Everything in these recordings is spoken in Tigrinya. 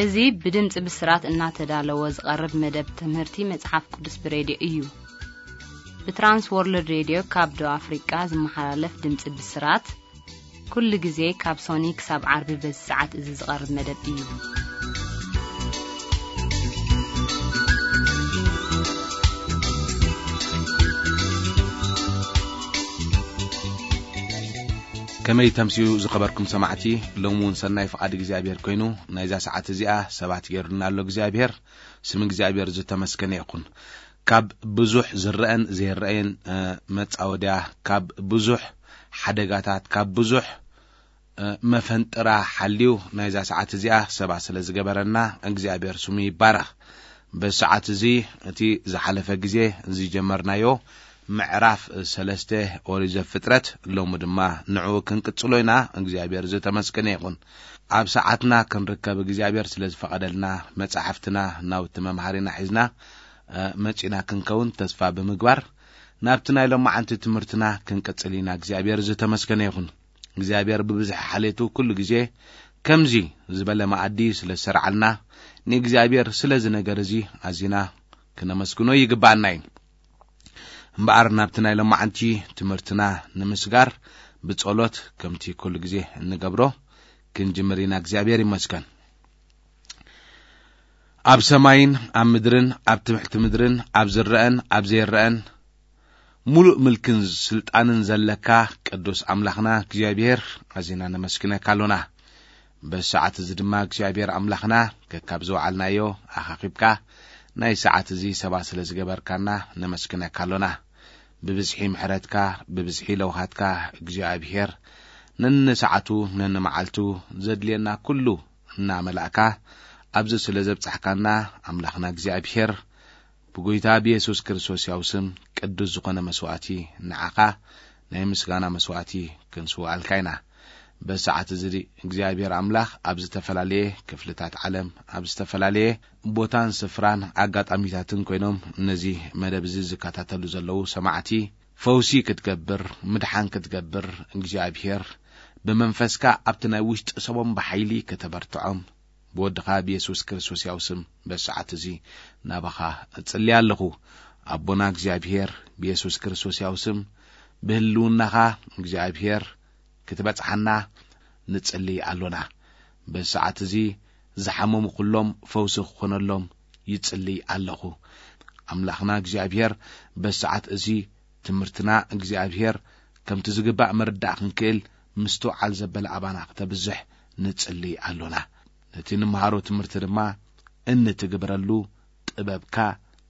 እዚ ብድምፂ ብስራት እናተዳለወ ዝቐርብ መደብ ትምህርቲ መጽሓፍ ቅዱስ ብሬድዮ እዩ። ብትራንስ ወርልድ ሬድዮ ካብ ደቡብ ኣፍሪቃ ዝመሓላለፍ ድምፂ ብስራት፣ ኩሉ ግዜ ካብ ሶኒ ክሳብ ዓርቢ በዚ ሰዓት እዚ ዝቐርብ መደብ እዩ። ከመይ ተምስዩ ዝኸበርኩም ሰማዕቲ፣ ሎሚ እውን ሰናይ ፍቓድ እግዚኣብሔር ኮይኑ ናይዛ ሰዓት እዚኣ ሰባት ገይሩና ኣሎ እግዚኣብሔር። ስም እግዚኣብሔር ዝተመስገነ ይኹን። ካብ ብዙሕ ዝረአን ዘይረአን፣ እ፣ መጻወድያ፣ ካብ ብዙሕ ሓደጋታት፣ ካብ ብዙሕ፣ እ፣ መፈንጥራ ሓልዩ ናይዛ ሰዓት እዚኣ ሰባ ስለ ዝገበረና እግዚኣብሔር ስሙ ይባረኽ። በዚ ሰዓት እዚ እቲ ዝሓለፈ ግዜ ዝጀመርናዮ ምዕራፍ ሰለስተ ኦሪት ዘፍጥረት፣ ሎሚ ድማ ንዕኡ ክንቅጽሎ ኢና። እግዚኣብሔር ዝተመስገነ ይኹን። ኣብ ሰዓትና ክንርከብ እግዚኣብሔር ስለ ዝፈቐደልና፣ መጻሕፍትና ናውቲ መምሃሪና ሒዝና፣ እ፣ መጺና ክንከውን ተስፋ ብምግባር፣ ናብቲ ናይ ሎማዓንቲ ትምህርትና ክንቅጽል ኢና። እግዚኣብሔር ዝተመስገነ ይኹን። እግዚኣብሔር ብብዝሒ ሓልየቱ ኩሉ ግዜ ከምዚ ዝበለ መኣዲ ስለ ዝሰርዓልና፣ ንእግዚኣብሔር ስለዚ ነገር እዚ ኣዚና ክነመስግኖ ይግብኣና እዩ። እምበኣር ናብቲ ናይ ሎማዓንቲ ትምህርትና ንምስጋር ብጸሎት ከምቲ ኩሉ ግዜ እንገብሮ ክንጅምር ኢና። እግዚኣብሔር ይመስገን። ኣብ ሰማይን ኣብ ምድርን፣ ኣብ ትሕቲ ምድርን፣ ኣብ ዝረአን ኣብ ዘይረአን፣ ሙሉእ ምልክን ስልጣንን ዘለካ ቅዱስ ኣምላኽና እግዚኣብሔር፣ ኣዚና ነመስግነካ ኣሎና። በዚ ሰዓት እዚ ድማ እግዚኣብሔር ኣምላኽና፣ ከካብ ዝወዓልናዮ ኣኻኺብካ ናይ ሰዓት እዚ ሰባት ስለ ዝገበርካና ነመስግነካ ኣሎና። ብብዝሒ ምሕረትካ፣ ብብዝሒ ለውሃትካ እግዚኣብሔር፣ ነንሰዓቱ ነንመዓልቱ ዘድልየና ኩሉ እናመላእካ፣ ኣብዚ ስለ ዘብጻሕካና ኣምላኽና እግዚኣብሔር፣ ብጎይታ ብየሱስ ክርስቶስ ያው ስም ቅዱስ ዝኾነ መስዋእቲ ንዓኻ ናይ ምስጋና መስዋእቲ ክንስውኣልካ ኢና። በዚ ሰዓት እዚ እግዚኣብሔር ኣምላኽ ኣብ ዝተፈላለየ ክፍልታት ዓለም፣ ኣብ ዝተፈላለየ ቦታን ስፍራን ኣጋጣሚታትን ኮይኖም ነዚ መደብ እዚ ዝከታተሉ ዘለዉ ሰማዕቲ ፈውሲ ክትገብር፣ ምድሓን ክትገብር፣ እግዚኣብሔር ብመንፈስካ ኣብቲ ናይ ውሽጢ ሰቦም ብሓይሊ ከተበርትዖም፣ ብወድኻ ብየሱስ ክርስቶስ ያው ስም በዚ ሰዓት እዚ ናባኻ እጽሊ ኣለኹ። ኣቦና እግዚኣብሔር፣ ብየሱስ ክርስቶስ ያው ስም ብህልውናኻ እግዚኣብሔር ክትበጽሓና ንጽሊ ኣሎና። በዚ ሰዓት እዚ ዝሓመሙ ኩሎም ፈውሲ ክኾነሎም ይጽሊ ኣለኹ። ኣምላኽና እግዚኣብሔር፣ በዚ ሰዓት እዚ ትምህርትና እግዚኣብሔር ከምቲ ዝግባእ ምርዳእ ክንክእል ምስትውዓል ዘበለ ኣባና ክተብዝሕ ንጽሊ ኣሎና። ነቲ ንምሃሮ ትምህርቲ ድማ እንትግብረሉ ጥበብካ፣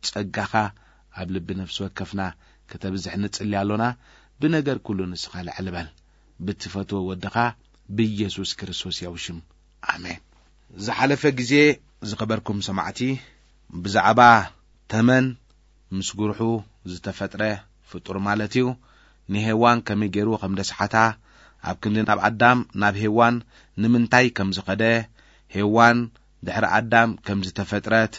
ጸጋኻ ኣብ ልቢ ነፍሲ ወከፍና ከተብዝሕ ንጽሊ ኣሎና። ብነገር ኩሉ ንስኻ ልዕል በል። ብትፈትዎ ወድኻ ብኢየሱስ ክርስቶስ ያው ሽም። ኣሜን። ዝሓለፈ ግዜ ዝኸበርኩም ሰማዕቲ፣ ብዛዕባ ተመን ምስ ጉርሑ ዝተፈጥረ ፍጡር ማለት እዩ፣ ንሄዋን ከመይ ገይሩ ከም ደስሓታ፣ ኣብ ክንዲ ናብ ኣዳም፣ ናብ ሄዋን ንምንታይ ከም ዝኸደ፣ ሄዋን ድሕሪ ኣዳም ከም ዝተፈጥረት፣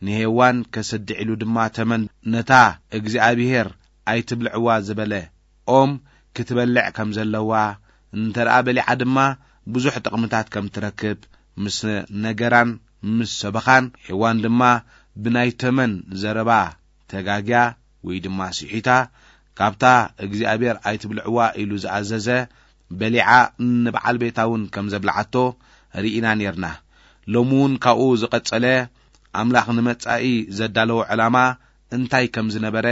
ንሄዋን ከስድዕ ኢሉ ድማ ተመን ነታ እግዚኣብሄር ኣይትብልዕዋ ዝበለ ኦም ክትበልዕ ከም ዘለዋ፣ እንተ ደኣ በሊዓ ድማ ብዙሕ ጥቕምታት ከም ትረክብ ምስ ነገራን ምስ ሰበኻን፣ ሄዋን ድማ ብናይ ተመን ዘረባ ተጋግያ ወይ ድማ ስሒታ፣ ካብታ እግዚኣብሔር ኣይትብልዕዋ ኢሉ ዝኣዘዘ በሊዓ ንበዓል ቤታ እውን ከም ዘብልዓቶ ርኢና ኔርና። ሎሚ እውን ካብኡ ዝቐጸለ ኣምላኽ ንመጻኢ ዘዳለዎ ዕላማ እንታይ ከም ዝነበረ፣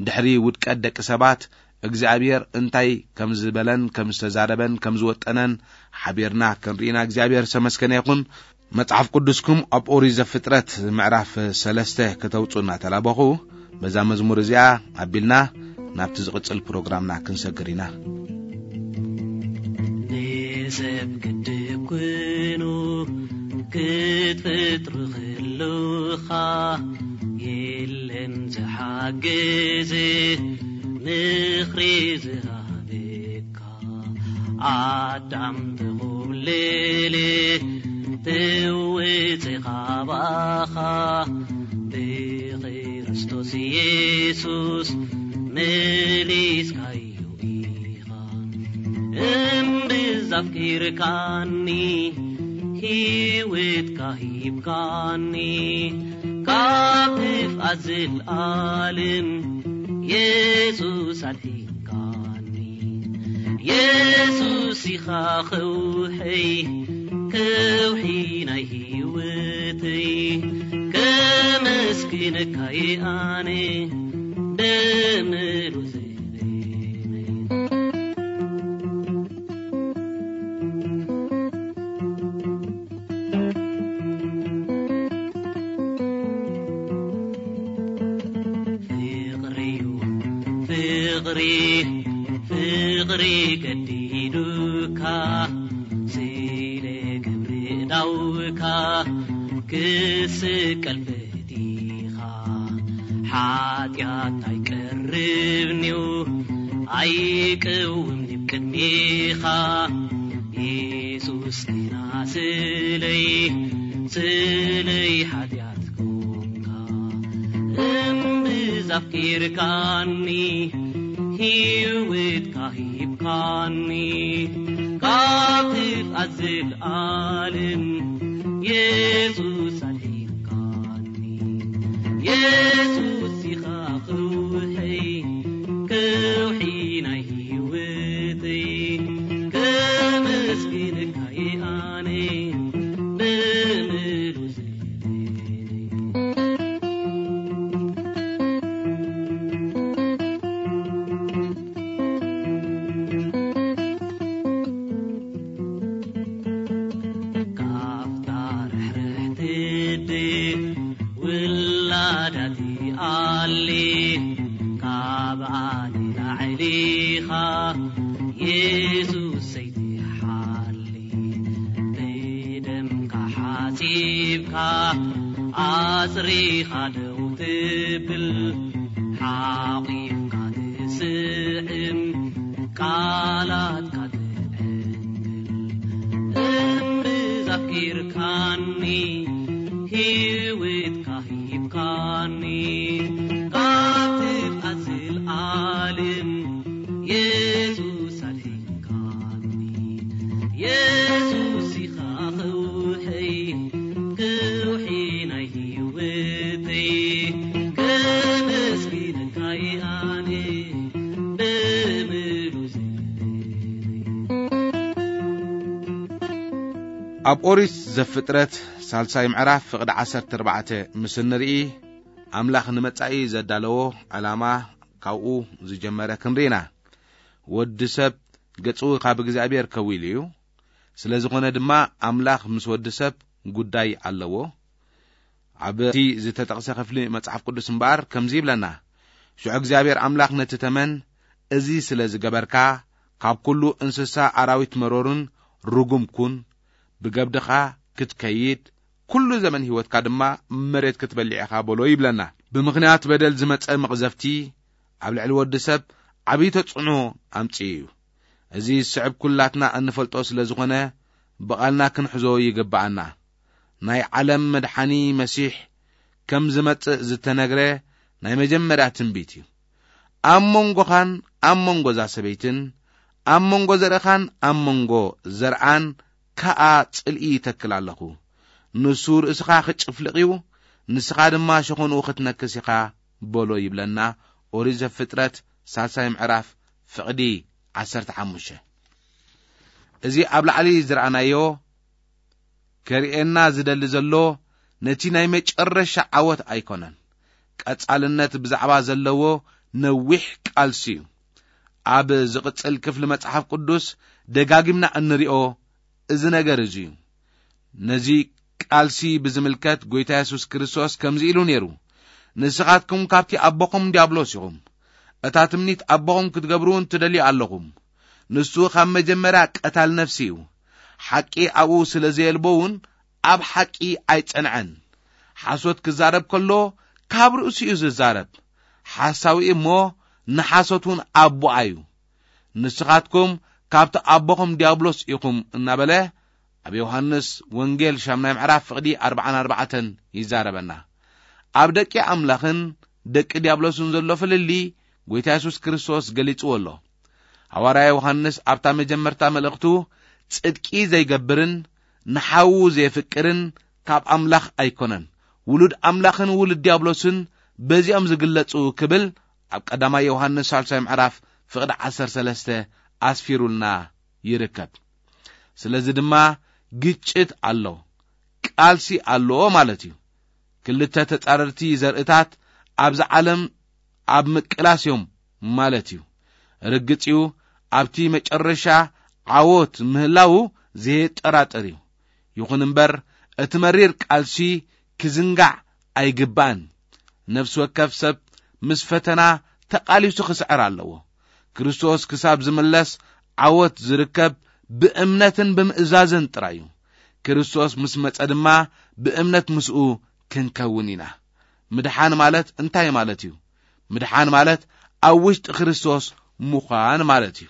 ድሕሪ ውድቀት ደቂ ሰባት እግዚኣብሔር እንታይ ከም ዝበለን ከም ዝተዛረበን ከም ዝወጠነን ሓቢርና ክንርኢና እግዚኣብሔር ዝተመስገነ ይኹን። መጽሓፍ ቅዱስኩም ኣብ ኦሪት ዘፍጥረት ምዕራፍ ሰለስተ ከተውጽኡ እናተላበኹ፣ በዛ መዝሙር እዚኣ ኣቢልና ናብቲ ዝቕጽል ፕሮግራምና ክንሰግር ኢና። ንሰብ ግድብ ኩኑ ክትፈጥሩ ከለኻ፣ የለን ዝሓግዝ ምኽሪ ዝሃበካ። ኣዳም ተኾብለለ፣ ተወጽእ ካባኻ፣ ብክርስቶስ ኢየሱስ መሊስካዮ ኢኻ። እምብዛ ኣፍቂርካኒ፣ ህይወትካ ሂብካኒ ካብ ጥፍኣት ዘልኣለም የሱስ ኣድሒንካኒ። የሱስ ኢኻ ከውሐይ፣ ከውሒ ናይ ህይወተይ፣ ከመስግነካ እየ ኣነ ብምሉእ ፍቅሪ ፍቅሪ ፍቅሪ ገዲዱካ ስለ ግብሪ ዳውካ ክስቀል ፈቲኻ ሓጢኣት ኣይቀርብንዩ ኣይቅውም ንብ ቅድሜኻ የሱስ ግና ስለይ ስለይ ሓጢኣት ኮንካ እምብዛ ኣፍቂርካኒ ህይወትካ ሂብካኒ ካብ ጥፍኣት ዘልኣለም የሱስ ኣድሒንካኒ። የሱስ ኢኻ ከውሐይ ከውሒ ናይ ህይወተይ ከመስግነካ እየ ኣነ ብምሉእ ካብታ ርሕርሕቲ ድብ ውላዳት ኣሊ ካብ ኣሊ ላዕሊኻ የሱስ ሰይትሓሊ ብደምካ ሓጺብካ ኣጽሪኻ ደው ትብል ሓቒፍካ ትስዕም ቃላትካ ትዕንግል እምብዛ ኣፍቂርካኒ ህይወትካ ሂብካኒ ካብ ጥፍኣት ዘልኣለም የሱስ ኣድሒንካኒ። የሱስ ኢኻ ከውሐይ ከውሒ ናይ ህይወተይ ከመስግነካ እየ ኣነ ብምሉእ ኣብ ኦሪት ዘፍጥረት ሳልሳይ ምዕራፍ ፍቕዲ ዓሰርተ ኣርባዕተ ምስ እንርኢ ኣምላኽ ንመጻኢ ዘዳለዎ ዕላማ ካብኡ ዝጀመረ ክንርኢ ኢና። ወዲ ሰብ ገጹ ካብ እግዚኣብሔር ከዊሉ እዩ። ስለ ዝኾነ ድማ ኣምላኽ ምስ ወዲ ሰብ ጉዳይ ኣለዎ። ኣብቲ ዝተጠቕሰ ክፍሊ መጽሓፍ ቅዱስ እምበኣር ከምዚ ይብለና፣ ሽዑ እግዚኣብሔር ኣምላኽ ነቲ ተመን፣ እዚ ስለ ዝገበርካ፣ ካብ ኩሉ እንስሳ ኣራዊት መሮርን ርጉም ኩን፣ ብገብድኻ ክትከይድ፣ ኩሉ ዘመን ህይወትካ ድማ መሬት ክትበልዕ ኢኻ በሎ ይብለና። ብምኽንያት በደል ዝመጸ መቕዘፍቲ ኣብ ልዕሊ ወዲ ሰብ ዓብዪ ተጽዕኖ ኣምጺኡ እዩ። እዚ ዝስዕብ ኩላትና እንፈልጦ ስለ ዝኾነ ብቓልና ክንሕዞ ይግብኣና። ናይ ዓለም መድሓኒ መሲሕ ከም ዝመጽእ ዝተነግረ ናይ መጀመርያ ትንቢት እዩ። ኣብ መንጎኻን ኣብ መንጎ እዛ ሰበይትን ኣብ መንጎ ዘርእኻን ኣብ መንጎ ዘርኣን ከኣ ጽልኢ ይተክል ኣለኹ። ንሱ ርእስኻ ክጭፍልቕ እዩ፣ ንስኻ ድማ ሸኾንኡ ክትነክስ ኢኻ በሎ ይብለና። ኦሪት ዘፍጥረት ሳልሳይ ምዕራፍ ፍቕዲ ዓሰርተ ሓሙሽተ። እዚ ኣብ ላዕሊ ዝረኣናዮ ከርእየና ዝደሊ ዘሎ ነቲ ናይ መጨረሻ ዓወት ኣይኮነን። ቀጻልነት ብዛዕባ ዘለዎ ነዊሕ ቃልሲ እዩ። ኣብ ዝቕጽል ክፍሊ መጽሓፍ ቅዱስ ደጋጊምና እንሪኦ እዚ ነገር እዚ እዩ። ነዚ ቃልሲ ብዝምልከት ጐይታ የሱስ ክርስቶስ ከምዚ ኢሉ ነይሩ፣ "ንስኻትኩም ካብቲ ኣቦኹም ዲያብሎስ ኢኹም። እታ ትምኒት ኣቦኹም ክትገብሩ እውን ትደልዩ ኣለኹም። ንሱ ካብ መጀመርያ ቀታል ነፍሲ እዩ። ሓቂ ኣብኡ ስለ ዘየልቦ እውን ኣብ ሓቂ ኣይጸንዐን። ሓሶት ክዛረብ ከሎ ካብ ርእሱ እዩ ዝዛረብ። ሓሳዊ እሞ ንሓሶት እውን ኣቦኣ እዩ። ንስኻትኩም ካብቲ ኣቦኹም ዲያብሎስ ኢኹም" እናበለ ኣብ ዮሃንስ ወንጌል ሻምናይ ምዕራፍ ፍቕዲ ኣርባዓን ኣርባዕተን ይዛረበና። ኣብ ደቂ ኣምላኽን ደቂ ዲያብሎስን ዘሎ ፍልልይ ጐይታ የሱስ ክርስቶስ ገሊጽዎ ኣሎ። ሃዋርያ ዮሃንስ ኣብታ መጀመርታ መልእኽቱ፣ "ጽድቂ ዘይገብርን ንሓዉ ዘየፍቅርን ካብ ኣምላኽ ኣይኮነን። ውሉድ ኣምላኽን ውሉድ ዲያብሎስን በዚኦም ዝግለጹ ክብል ኣብ ቀዳማይ ዮሃንስ ሳልሳይ ምዕራፍ ፍቕዲ ዓሰርተ ሰለስተ ኣስፊሩልና ይርከብ። ስለዚ ድማ ግጭት ኣሎ፣ ቃልሲ ኣሎ ማለት እዩ። ክልተ ተጻረርቲ ዘርእታት ኣብዚ ዓለም ኣብ ምቅላስ እዮም ማለት እዩ። ርግጽ እዩ፣ ኣብቲ መጨረሻ ዓወት ምህላዉ ዘየጠራጥር እዩ። ይኹን እምበር፣ እቲ መሪር ቃልሲ ክዝንጋዕ ኣይግባእን። ነፍሲ ወከፍ ሰብ ምስ ፈተና ተቓሊሱ ክስዕር ኣለዎ። ክርስቶስ ክሳብ ዝምለስ ዓወት ዝርከብ ብእምነትን ብምእዛዝን ጥራይ እዩ። ክርስቶስ ምስ መጸ ድማ ብእምነት ምስኡ ክንከውን ኢና። ምድሓን ማለት እንታይ ማለት እዩ? ምድሓን ማለት ኣብ ውሽጢ ክርስቶስ ምዃን ማለት እዩ።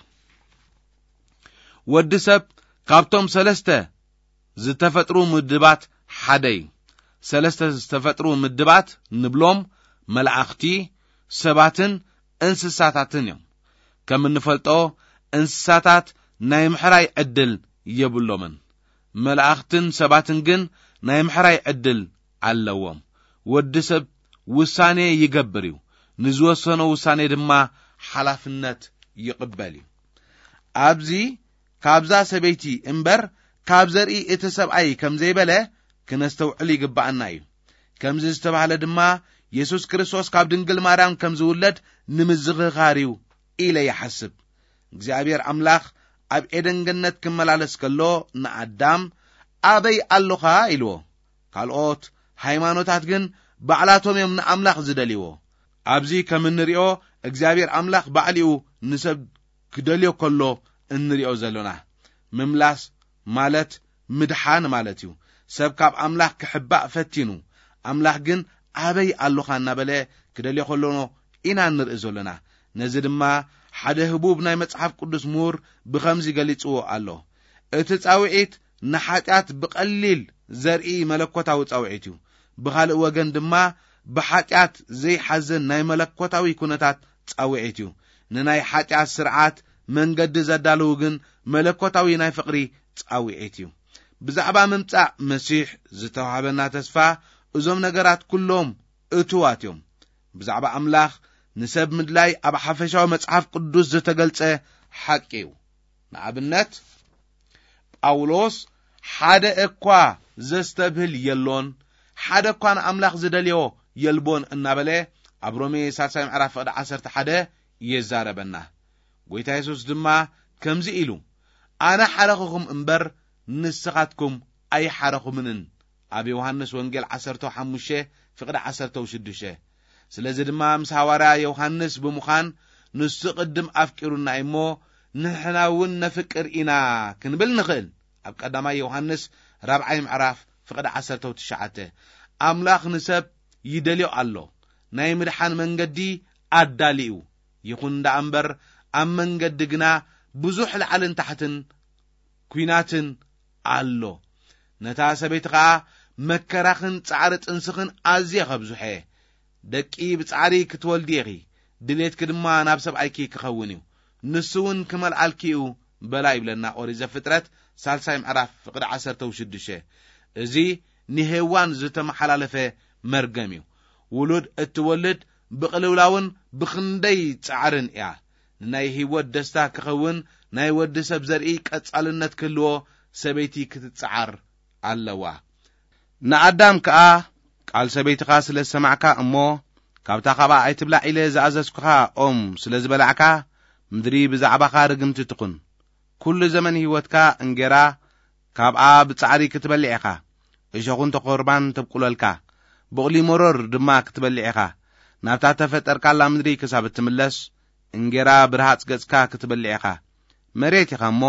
ወዲ ሰብ ካብቶም ሰለስተ ዝተፈጥሩ ምድባት ሓደ እዩ። ሰለስተ ዝተፈጥሩ ምድባት ንብሎም መላእኽቲ፣ ሰባትን እንስሳታትን እዮም። ከም እንፈልጦ እንስሳታት ናይ ምሕራይ ዕድል የብሎምን። መላእኽትን ሰባትን ግን ናይ ምሕራይ ዕድል ኣለዎም። ወዲ ሰብ ውሳኔ ይገብር እዩ። ንዝወሰኖ ውሳኔ ድማ ሓላፍነት ይቕበል እዩ። ኣብዚ ካብዛ ሰበይቲ እምበር ካብ ዘርኢ እቲ ሰብኣይ ከም ዘይበለ ክነስተውዕል ይግባኣና እዩ። ከምዚ ዝተባህለ ድማ የሱስ ክርስቶስ ካብ ድንግል ማርያም ከም ዝውለድ ንምዝኽኻር እዩ ኢለ ይሓስብ። እግዚኣብሔር ኣምላኽ ኣብ ኤደን ገነት ክመላለስ ከሎ ንኣዳም፣ "ኣበይ ኣሎኻ?" ኢልዎ። ካልኦት ሃይማኖታት ግን ባዕላቶም እዮም ንኣምላኽ ዝደልይዎ። ኣብዚ ከም እንሪኦ እግዚኣብሔር ኣምላኽ ባዕሊኡ ንሰብ ክደልዮ ከሎ እንሪኦ ዘሎና። ምምላስ ማለት ምድሓን ማለት እዩ። ሰብ ካብ ኣምላኽ ክሕባእ ፈቲኑ፣ ኣምላኽ ግን ኣበይ ኣሎኻ እናበለ ክደልዮ ከሎ ኢና እንርኢ ዘሎና። ነዚ ድማ ሓደ ህቡብ ናይ መጽሓፍ ቅዱስ ምሁር ብኸምዚ ገሊጽዎ ኣሎ። እቲ ጻውዒት ንሓጢኣት ብቐሊል ዘርኢ መለኮታዊ ጻውዒት እዩ። ብኻልእ ወገን ድማ ብሓጢኣት ዘይሓዘን ናይ መለኮታዊ ኩነታት ጻውዒት እዩ። ንናይ ሓጢኣት ስርዓት መንገዲ ዘዳልው ግን መለኮታዊ ናይ ፍቕሪ ጻውዒት እዩ። ብዛዕባ ምምጻእ መሲሕ ዝተዋህበና ተስፋ እዞም ነገራት ኩሎም እትዋት እዮም። ብዛዕባ ኣምላኽ ንሰብ ምድላይ ኣብ ሓፈሻዊ መጽሓፍ ቅዱስ ዝተገልጸ ሓቂ እዩ። ንኣብነት፣ ጳውሎስ፣ "ሓደ እኳ ዘስተብህል የሎን፣ ሓደ እኳ ንኣምላኽ ዝደልዮ የልቦን" እናበለ ኣብ ሮሜ ሳልሳይ ምዕራፍ ፍቕዲ ዓሰርተ ሓደ የዛረበና። ጎይታ የሱስ ድማ ከምዚ ኢሉ፣ "ኣነ ሓረኹኹም እምበር ንስኻትኩም ኣይሓረኹምንን" ኣብ ዮሃንስ ወንጌል ዓሰርተ ሓሙሽተ ፍቕዲ ዓሰርተ ሽዱሽተ። ስለዚ ድማ ምስ ሃዋርያ ዮሃንስ ብምዃን ንሱ ቅድም ኣፍቂሩና እዩ እሞ ንሕና እውን ነፍቅር ኢና ክንብል ንኽእል። ኣብ ቀዳማይ ዮሃንስ ራብዓይ ምዕራፍ ፍቕዲ ዓሰርተ ትሽዓተ። ኣምላኽ ንሰብ ይደልዮ ኣሎ። ናይ ምድሓን መንገዲ ኣዳልዩ። ይኹን ደኣ እምበር ኣብ መንገዲ ግና ብዙሕ ላዕልን ታሕትን ኲናትን ኣሎ። ነታ ሰበይቲ ኸኣ መከራኽን ጻዕሪ ጥንስኽን ኣዝየ ኸብዝሖ እየ። ደቂ ብጻዕሪ ክትወልዲ ኢኺ፣ ድሌትኪ ድማ ናብ ሰብኣይኪ ክኸውን እዩ፣ ንሱ እውን ክመልኣልኪ እዩ በላ ይብለና ኦሪት ዘፍጥረት ሳልሳይ ምዕራፍ ፍቕዲ ዓሰርተ ሽዱሽተ። እዚ ንሄዋን ዝተመሓላለፈ መርገም እዩ። ውሉድ እትወልድ ብቕልውላውን ብኽንደይ ጻዕርን እያ። ንናይ ህይወት ደስታ ክኸውን ናይ ወዲ ሰብ ዘርኢ ቀጻልነት ክህልዎ ሰበይቲ ክትጽዓር ኣለዋ። ንኣዳም ከኣ ቃል ሰበይትኻ ስለ ዝሰማዕካ እሞ ካብታ ኻብኣ ኣይትብላዕ ኢለ ዝኣዘዝኩኻ ኦም ስለ ዝበላዕካ ምድሪ ብዛዕባኻ ርግምቲ ትኹን። ኩሉ ዘመን ህይወትካ እንጌራ ካብኣ ብጻዕሪ ክትበልዕ ኢኻ። እሾኹን ተኾርባን ተብቁለልካ፣ ብቑሊ መሮር ድማ ክትበልዕ ኢኻ። ናብታ ተፈጠርካላ ምድሪ ክሳብ እትምለስ እንጌራ ብርሃጽ ገጽካ ክትበልዕ ኢኻ። መሬት ኢኻ እሞ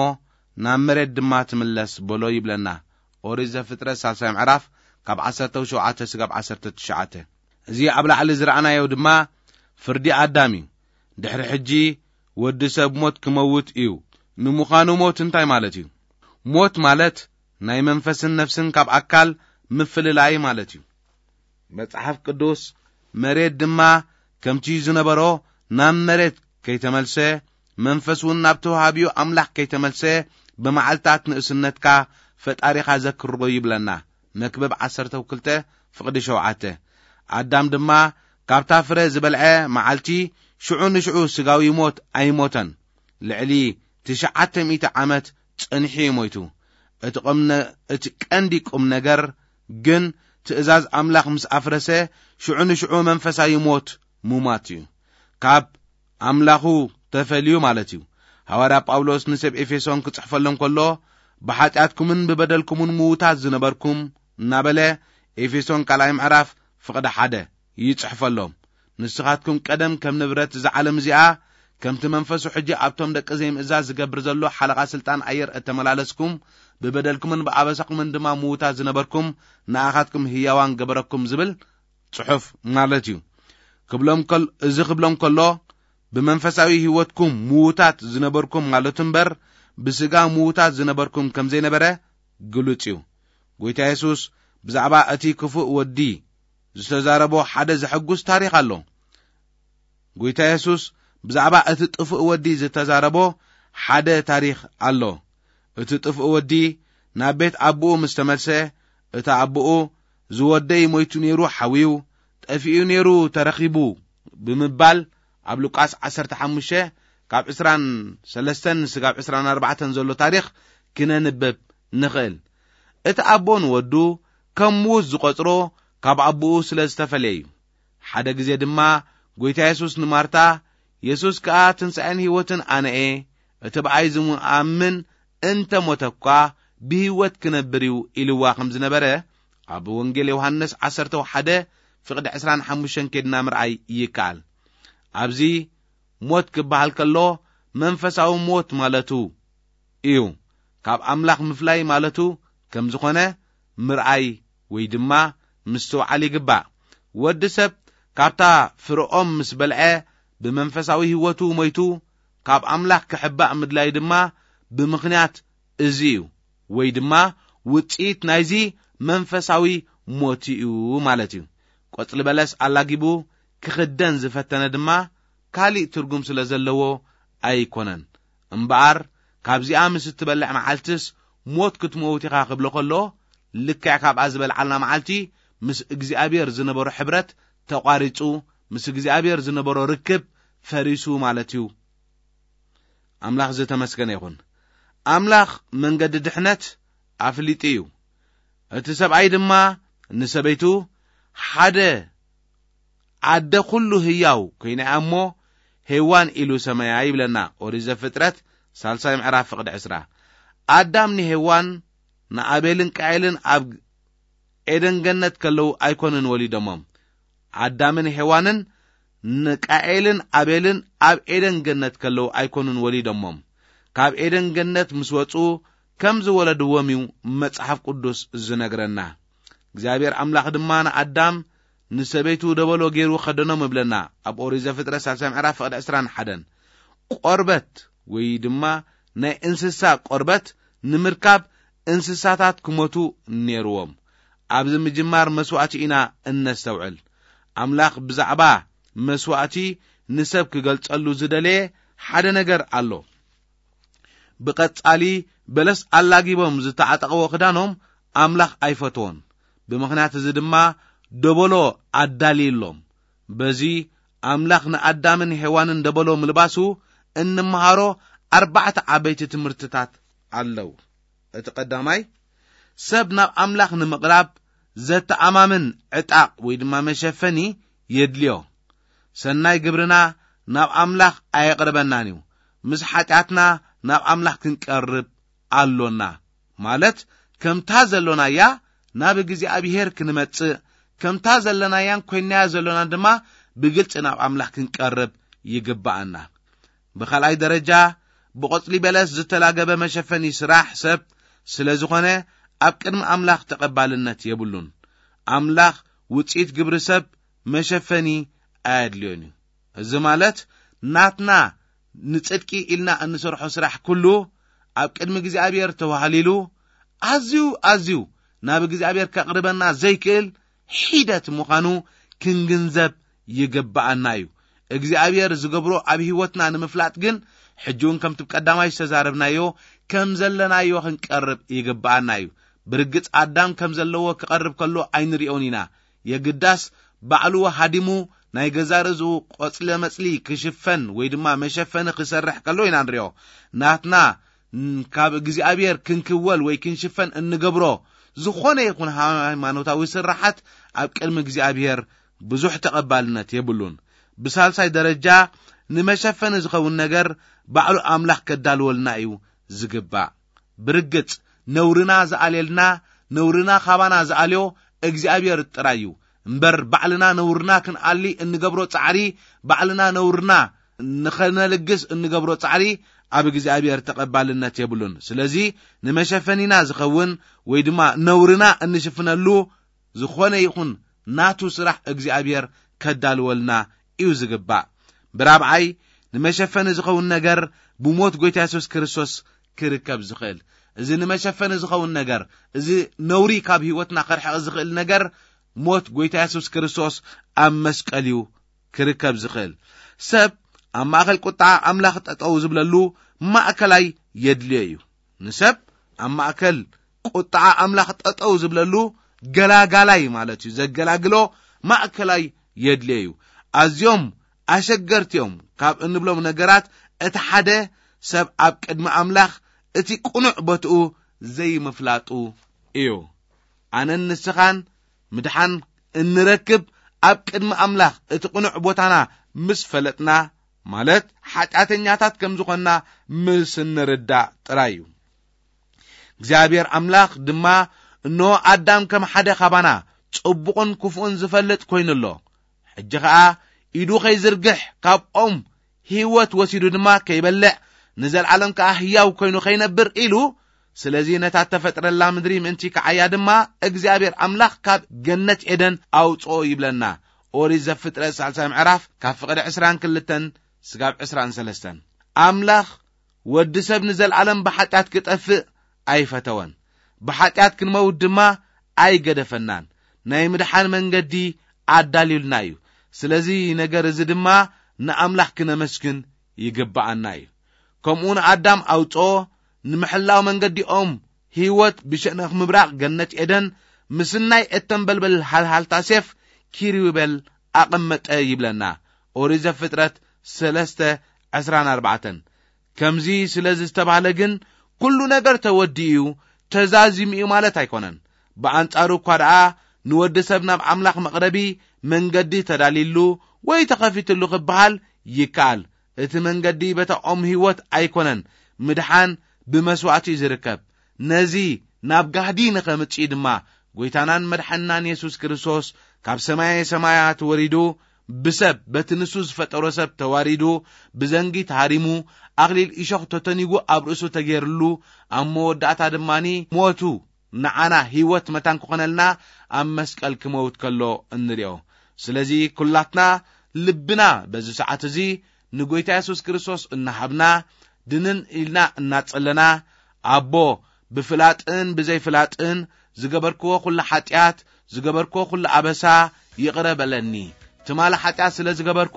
ናብ መሬት ድማ ትምለስ በሎ ይብለና። ኦሪት ዘፍጥረት ሳልሳይ ምዕራፍ ካብ ዓሰርተ ሸውዓተ ስጋብ ዓሰርተ ትሽዓተ። እዚ ኣብ ላዕሊ ዝረኣናዮ ድማ ፍርዲ ኣዳም እዩ። ድሕሪ ሕጂ ወዲ ሰብ ሞት ክመውት እዩ። ንምዃኑ ሞት እንታይ ማለት እዩ? ሞት ማለት ናይ መንፈስን ነፍስን ካብ ኣካል ምፍልላይ ማለት እዩ። መጽሓፍ ቅዱስ መሬት ድማ ከምቲ ዝነበሮ ናብ መሬት ከይተመልሰ፣ መንፈስ እውን ናብ ተዋሃቢኡ ኣምላኽ ከይተመልሰ፣ ብመዓልታት ንእስነትካ ፈጣሪኻ ዘክሮ ይብለና። መክብብ ዓሰርተ ክልተ ፍቕዲ ሸውዓተ። ኣዳም ድማ ካብታ ፍረ ዝበልዐ መዓልቲ ሽዑ ንሽዑ ስጋዊ ሞት ኣይሞተን። ልዕሊ ትሽዓተ ሚእቲ ዓመት ጸኒሑ እዩ ሞይቱ። እቲ ቁም ነ-፣ እቲ ቀንዲ ቁም ነገር ግን ትእዛዝ ኣምላኽ ምስ ኣፍረሰ ሽዑ ንሽዑ መንፈሳዊ ሞት ሙማት እዩ። ካብ ኣምላኹ ተፈልዩ ማለት እዩ። ሃዋርያ ጳውሎስ ንሰብ ኤፌሶን ክጽሕፈሎም ከሎ፣ "ብሓጢኣትኩምን ብበደልኩምን ምዉታት ዝነበርኩም" እናበለ ኤፌሶን ካልኣይ ምዕራፍ ፍቕዲ ሓደ ይጽሕፈሎም። "ንስኻትኩም ቀደም ከም ንብረት እዛ ዓለም እዚኣ፣ ከምቲ መንፈሱ ሕጂ ኣብቶም ደቂ ዘይምእዛዝ ዝገብር ዘሎ ሓለቓ ስልጣን ኣየር እተመላለስኩም፣ ብበደልኩምን ብኣበሳኹምን ድማ ምዉታት ዝነበርኩም፣ ንኣኻትኩም ህያዋን ገበረኩም" ዝብል ጽሑፍ ማለት እዩ። ክብሎም ከል-፣ እዚ ክብሎም ከሎ፣ ብመንፈሳዊ ህይወትኩም ምዉታት ዝነበርኩም ማለቱ እምበር፣ ብስጋ ምዉታት ዝነበርኩም ከም ዘይነበረ ግሉጽ እዩ። ጎይታ የሱስ ብዛዕባ እቲ ክፉእ ወዲ ዝተዛረቦ ሓደ ዘሐጉስ ታሪኽ ኣሎ። ጎይታ የሱስ ብዛዕባ እቲ ጥፉእ ወዲ ዝተዛረቦ ሓደ ታሪኽ ኣሎ። እቲ ጥፉእ ወዲ ናብ ቤት ኣቦኡ ምስ ተመልሰ፣ እቲ ኣቦኡ፣ "ዝወደይ ሞይቱ ነይሩ ሓውዩ፣ ጠፊኡ ነይሩ ተረኺቡ" ብምባል ኣብ ሉቃስ ዓሰርተ ሓሙሽተ ካብ ዕስራን ሰለስተን ስጋብ ዕስራን ኣርባዕተን ዘሎ ታሪኽ ክነንብብ ንኽእል። እቲ ኣቦ ንወዱ ከም ምዉት ዝቖጽሮ ካብ ኣቦኡ ስለ ዝተፈልየ እዩ። ሓደ ግዜ ድማ ጎይታ የሱስ ንማርታ፣ "የሱስ ከኣ ትንሳኤን ህይወትን ኣነ እየ፣ እቲ ብኣይ ዝኣምን እንተ ሞተ እኳ ብህይወት ክነብር እዩ" ኢልዋ ከም ዝነበረ ኣብ ወንጌል ዮሃንስ ዓሰርተ ሓደ ፍቕዲ ዕስራን ሓሙሽተን ኬድና ምርኣይ ይከኣል። ኣብዚ ሞት ክበሃል ከሎ መንፈሳዊ ሞት ማለቱ እዩ። ካብ ኣምላኽ ምፍላይ ማለቱ ከም ዝኾነ ምርኣይ ወይ ድማ ምስትውዓል ይግባእ። ወዲ ሰብ ካብታ ፍርኦም ምስ በልዐ ብመንፈሳዊ ህይወቱ ሞይቱ፣ ካብ ኣምላኽ ክሕባእ ምድላይ ድማ ብምኽንያት እዚ እዩ፣ ወይ ድማ ውጽኢት ናይዚ መንፈሳዊ ሞት እዩ ማለት እዩ። ቆጽሊ በለስ ኣላጊቡ ክኽደን ዝፈተነ ድማ ካሊእ ትርጉም ስለ ዘለዎ ኣይኮነን። እምበኣር ካብዚኣ ምስ እትበልዕ መዓልትስ ሞት ክትመውት ኢኻ ክብሎ ከሎ፣ ልክዕ ካብኣ ዝበልዓልና መዓልቲ ምስ እግዚኣብሔር ዝነበሮ ሕብረት ተቋሪጹ፣ ምስ እግዚኣብሔር ዝነበሮ ርክብ ፈሪሱ ማለት እዩ። ኣምላኽ ዝተመስገነ ይኹን። ኣምላኽ መንገዲ ድሕነት ኣፍሊጡ እዩ። እቲ ሰብኣይ ድማ ንሰበይቱ፣ "ሓደ ኣደ ኩሉ ህያው ኮይና እያ እሞ ሄዋን ኢሉ ሰመያ" ይብለና ኦሪት ዘፍጥረት ሳልሳይ ምዕራፍ ፍቕዲ ዕስራ። ኣዳም ንሄዋን፣ ንኣቤልን ቃኤልን ኣብ ኤደን ገነት ከለዉ ኣይኮኑን ወሊዶሞም። ኣዳምን ሄዋንን ንቃኤልን ኣቤልን ኣብ ኤደን ገነት ከለዉ ኣይኮኑን ወሊዶሞም። ካብ ኤደን ገነት ምስ ወጹ ከም ዝወለድዎም እዩ መጽሓፍ ቅዱስ ዝነግረና። እግዚኣብሔር ኣምላኽ ድማ ንኣዳም ንሰበይቱ ደበሎ ገይሩ ከደኖም እብለና ኣብ ኦሪት ዘፍጥረት ሳልሳይ ምዕራፍ ፍቕዲ ዕስራን ሓደን። ቆርበት ወይ ድማ ናይ እንስሳ ቆርበት ንምርካብ እንስሳታት ክሞቱ ነይርዎም። ኣብዚ ምጅማር መስዋእቲ ኢና እነስተውዕል። ኣምላኽ ብዛዕባ መስዋእቲ ንሰብ ክገልጸሉ ዝደለየ ሓደ ነገር ኣሎ። ብቐጻሊ በለስ ኣላጊቦም ዝተዓጠቕዎ ክዳኖም ኣምላኽ ኣይፈትዎን። ብምኽንያት እዚ ድማ ደበሎ ኣዳልዩሎም። በዚ ኣምላኽ ንኣዳምን ሄዋንን ደበሎ ምልባሱ እንመሃሮ ኣርባዕተ ዓበይቲ ትምህርትታት ኣለዉ። እቲ ቀዳማይ፣ ሰብ ናብ ኣምላኽ ንምቕራብ ዘተኣማምን ዕጣቕ ወይ ድማ መሸፈኒ የድልዮ። ሰናይ ግብርና ናብ ኣምላኽ ኣየቕርበናን እዩ። ምስ ሓጢኣትና ናብ ኣምላኽ ክንቀርብ ኣሎና። ማለት ከምታ ዘሎናያ ናብ እግዚኣብሔር ክንመጽእ፣ ከምታ ዘለናያን ኮይናያ ዘሎና ድማ ብግልጺ ናብ ኣምላኽ ክንቀርብ ይግብኣና። ብኻልኣይ ደረጃ፣ ብቆጽሊ በለስ ዝተላገበ መሸፈኒ ስራሕ ሰብ ስለ ዝኾነ ኣብ ቅድሚ ኣምላኽ ተቐባልነት የብሉን። ኣምላኽ ውጽኢት ግብሪ ሰብ መሸፈኒ ኣየድልዮን እዩ። እዚ ማለት ናትና ንጽድቂ ኢልና እንሰርሖ ስራሕ ኩሉ ኣብ ቅድሚ እግዚኣብሔር ተዋህሊሉ ኣዝዩ ኣዝዩ ናብ እግዚኣብሔር ከቕርበና ዘይክእል ሒደት ምዃኑ ክንግንዘብ ይግብኣና እዩ። እግዚኣብሔር ዝገብሮ ኣብ ህይወትና ንምፍላጥ ግን ሕጂ እውን ከምቲ ቀዳማይ ዝተዛረብናዮ ከም ዘለናዮ ክንቀርብ ይግብኣና እዩ። ብርግጽ ኣዳም ከም ዘለዎ ክቐርብ ከሎ ኣይንሪኦን ኢና። የግዳስ ባዕሉ ሃዲሙ ናይ ገዛ ርእሱ ቆጽለ መጽሊ ክሽፈን ወይ ድማ መሸፈኒ ክሰርሕ ከሎ ኢና ንሪኦ። ናትና ን-፣ ካብ እግዚኣብሔር ክንክወል ወይ ክንሽፈን እንገብሮ ዝኾነ ይኹን ሃይማኖታዊ ስራሓት ኣብ ቅድሚ እግዚኣብሔር ብዙሕ ተቐባልነት የብሉን። ብሳልሳይ ደረጃ ንመሸፈኒ ዝኸውን ነገር ባዕሉ ኣምላኽ ከዳልወልና እዩ ዝግባእ። ብርግጽ ነውርና ዝኣልየልና፣ ነውርና ካባና ዝኣልዮ እግዚኣብሔር ጥራይ እዩ። እምበር ባዕልና ነውርና ክንኣሊ እንገብሮ ጻዕሪ፣ ባዕልና ነውርና ንኸነልግስ እንገብሮ ጻዕሪ ኣብ እግዚኣብሔር ተቐባልነት የብሉን። ስለዚ ንመሸፈኒና ዝኸውን ወይ ድማ ነውርና እንሽፍነሉ ዝኾነ ይኹን ናቱ ስራሕ እግዚኣብሔር ከዳልወልና እዩ ዝግባእ። ብራብዓይ ንመሸፈኒ ዝኸውን ነገር ብሞት ጎይታ የሱስ ክርስቶስ ክርከብ ዝኽእል። እዚ ንመሸፈኒ ዝኸውን ነገር፣ እዚ ነውሪ ካብ ህይወትና ከርሕቕ ዝኽእል ነገር ሞት ጎይታ የሱስ ክርስቶስ ኣብ መስቀል እዩ ክርከብ ዝኽእል። ሰብ ኣብ ማእከል ቁጣ ኣምላኽ ጠጠው ዝብለሉ ማእከላይ የድልዮ እዩ። ንሰብ ኣብ ማእከል ቁጥዓ ኣምላኽ ጠጠው ዝብለሉ ገላጋላይ ማለት እዩ። ዘገላግሎ ማእከላይ የድልዮ እዩ። ኣዝዮም ኣሸገርቲ እዮም ካብ እንብሎም ነገራት እቲ ሓደ ሰብ ኣብ ቅድሚ ኣምላኽ እቲ ቅኑዕ ቦትኡ ዘይምፍላጡ እዩ። ኣነን ንስኻን ምድሓን እንረክብ ኣብ ቅድሚ ኣምላኽ እቲ ቅኑዕ ቦታና ምስ ፈለጥና፣ ማለት ሓጢኣተኛታት ከም ዝኾንና ምስ እንርዳእ ጥራይ እዩ። እግዚኣብሔር ኣምላኽ ድማ፣ "እንሆ ኣዳም ከም ሓደ ካባና ጽቡቕን ክፉእን ዝፈልጥ ኮይኑ ኣሎ። ሕጂ ኸኣ ኢዱ ኸይዝርግሕ ካብ ኦም ህይወት ወሲዱ ድማ ከይበልዕ ንዘለዓለም ከኣ ህያው ኮይኑ ኸይነብር" ኢሉ፣ ስለዚ ነታ እተፈጥረላ ምድሪ ምእንቲ ከዓያ ድማ እግዚኣብሔር ኣምላኽ ካብ ገነት ኤደን ኣውጽኦ ይብለና። ኦሪት ዘፍጥረት ሳልሳይ ምዕራፍ ካብ ፍቕዲ ዕስራን ክልተን ስጋብ ዕስራን ሰለስተን። ኣምላኽ ወዲ ሰብ ንዘለዓለም ብሓጢኣት ክጠፍእ ኣይፈተወን። ብሓጢኣት ክንመውት ድማ ኣይገደፈናን። ናይ ምድሓን መንገዲ ኣዳልዩልና እዩ። ስለዚ ነገር እዚ ድማ ንኣምላኽ ክነመስግን ይግብኣና እዩ። ከምኡ ንኣዳም ኣውጽኦ፣ ንምሕላው መንገዲኦም ህይወት ብሸነኽ ምብራቕ ገነት ኤደን ምስናይ እተንበልበል ሃልሃልታ ሴፍ ኪሩቤል ኣቐመጠ ይብለና ኦሪት ዘፍጥረት ሰለስተ ዕስራን ኣርባዕተን። ከምዚ ስለ ዝተባህለ ግን ኩሉ ነገር ተወዲኡ እዩ፣ ተዛዚሙ እዩ ማለት ኣይኮነን። ብኣንጻሩ እኳ ደኣ ንወዲ ሰብ ናብ ኣምላኽ መቕረቢ መንገዲ ተዳሊሉ ወይ ተኸፊትሉ ክበሃል ይከኣል። እቲ መንገዲ በታ ኦም ህይወት ኣይኮነን፣ ምድሓን ብመስዋእቲ እዩ ዝርከብ። ነዚ ናብ ጋህዲ ንኸምጽእ ድማ፣ ጐይታናን መድሓንናን የሱስ ክርስቶስ ካብ ሰማየ ሰማያት ወሪዱ፣ ብሰብ፣ በቲ ንሱ ዝፈጠሮ ሰብ ተዋሪዱ፣ ብዘንጊ ተሃሪሙ፣ ኣኽሊል እሾኽ ተተኒጉ ኣብ ርእሱ ተገይርሉ፣ ኣብ መወዳእታ ድማኒ ሞቱ፣ ንዓና ህይወት መታን ክኾነልና ኣብ መስቀል ክመውት ከሎ እንሪኦ። ስለዚ ኩላትና ልብና በዚ ሰዓት እዚ ንጎይታ የሱስ ክርስቶስ እናሃብና፣ ድንን ኢልና እናጸለና፣ ኣቦ፣ ብፍላጥን ብዘይፍላጥን ዝገበርክዎ ኩሉ ሓጢኣት፣ ዝገበርክዎ ኩሉ ኣበሳ ይቕረ በለኒ። ትማሊ ሓጢኣት ስለ ዝገበርኩ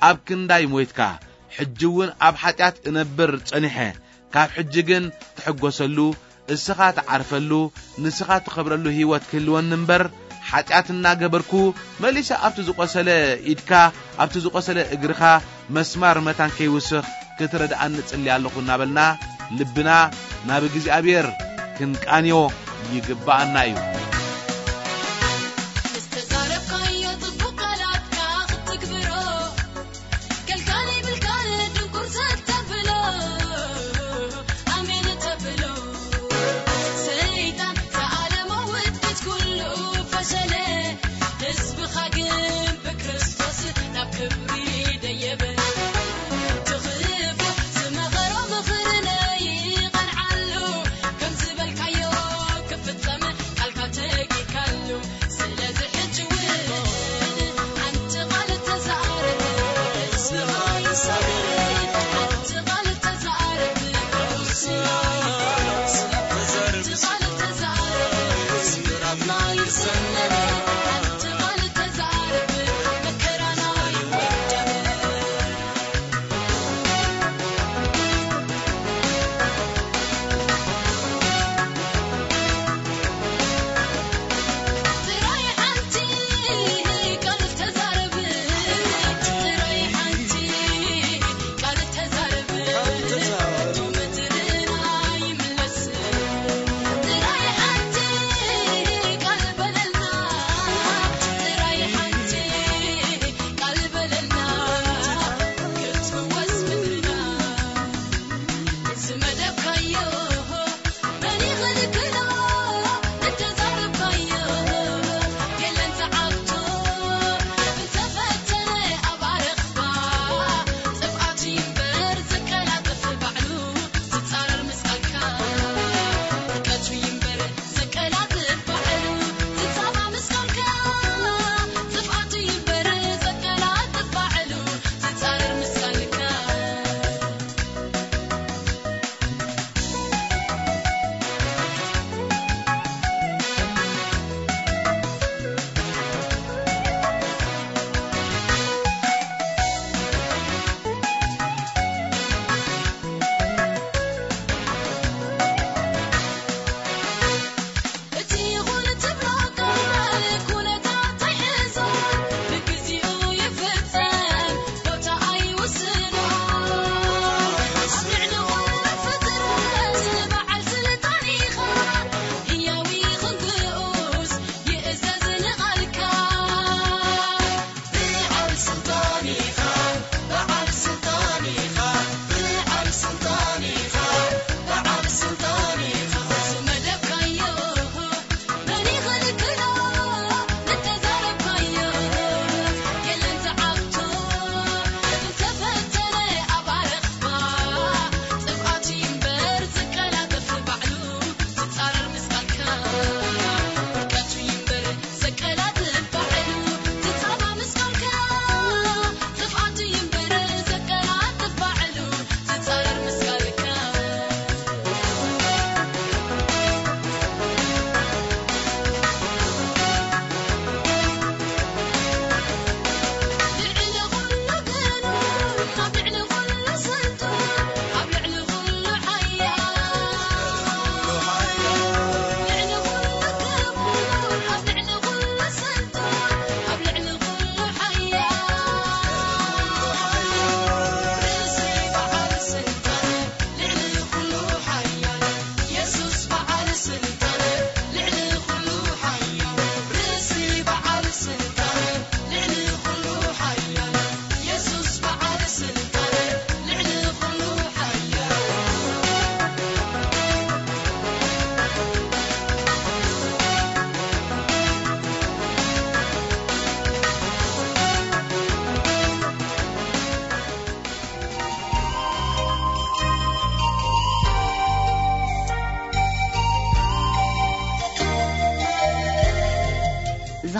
ኣብ ክንዳይ ሞይትካ። ሕጂ እውን ኣብ ሓጢኣት እነብር ጸኒሐ። ካብ ሕጂ ግን ትሕጎሰሉ፣ እስኻ ትዓርፈሉ፣ ንስኻ ትኸብረሉ ህይወት ክህልወኒ እምበር፣ ሓጢኣት እናገበርኩ መሊሰ ኣብቲ ዝቖሰለ ኢድካ፣ ኣብቲ ዝቖሰለ እግርኻ መስማር መታን ከይውስኽ ክትረድኣኒ እጽሊ ኣለኹ እናበልና ልብና ናብ እግዚኣብሔር ክንቃንዮ ይግብኣና እዩ። ዝተዛረብካዮ ጽቡቕ ቃላትካ ክትግብሮ፣ ከልካል ይብልካን ድንቁር ዘተብሎ፣ ኣሜን ተብሎ። ሰይጣን ዝዓለሞ ውድቀት ኩሉ ፈሸለ፣ ህዝብኻ ግን ብክርስቶስ ናብ ክብሪ ደየበ። ትኽፉ ዝመኸሮ ምኽሪ ነይቐንዓሉ፣ ከም ዝበልካዮ ክፍጸም ቃልካ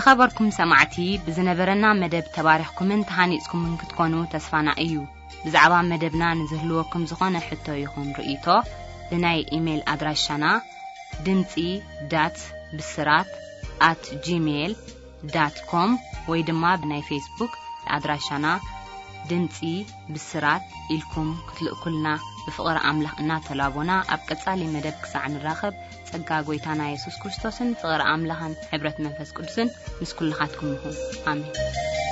ዝኸበርኩም ሰማዕቲ፣ ብዝነበረና መደብ ተባሪኽኩምን ተሃኒጽኩምን ክትኮኑ ተስፋና እዩ። ብዛዕባ መደብና ንዝህልወኩም ዝኾነ ሕቶ ይኹን ርእይቶ፣ ብናይ ኢሜይል ኣድራሻና ድምጺ ዳት ብስራት ኣት ጂሜይል ዳት ኮም ወይ ድማ ብናይ ፌስቡክ ኣድራሻና ድምጺ ብስራት ኢልኩም ክትልእኩልና ብፍቕሪ ኣምላኽ እናተላቦና፣ ኣብ ቀጻሊ መደብ ክሳዕ ንራኸብ፣ ጸጋ ጐይታና የሱስ ክርስቶስን ፍቕሪ ኣምላኽን ሕብረት መንፈስ ቅዱስን ምስ ኩልኻትኩም ይኹን። ኣሜን።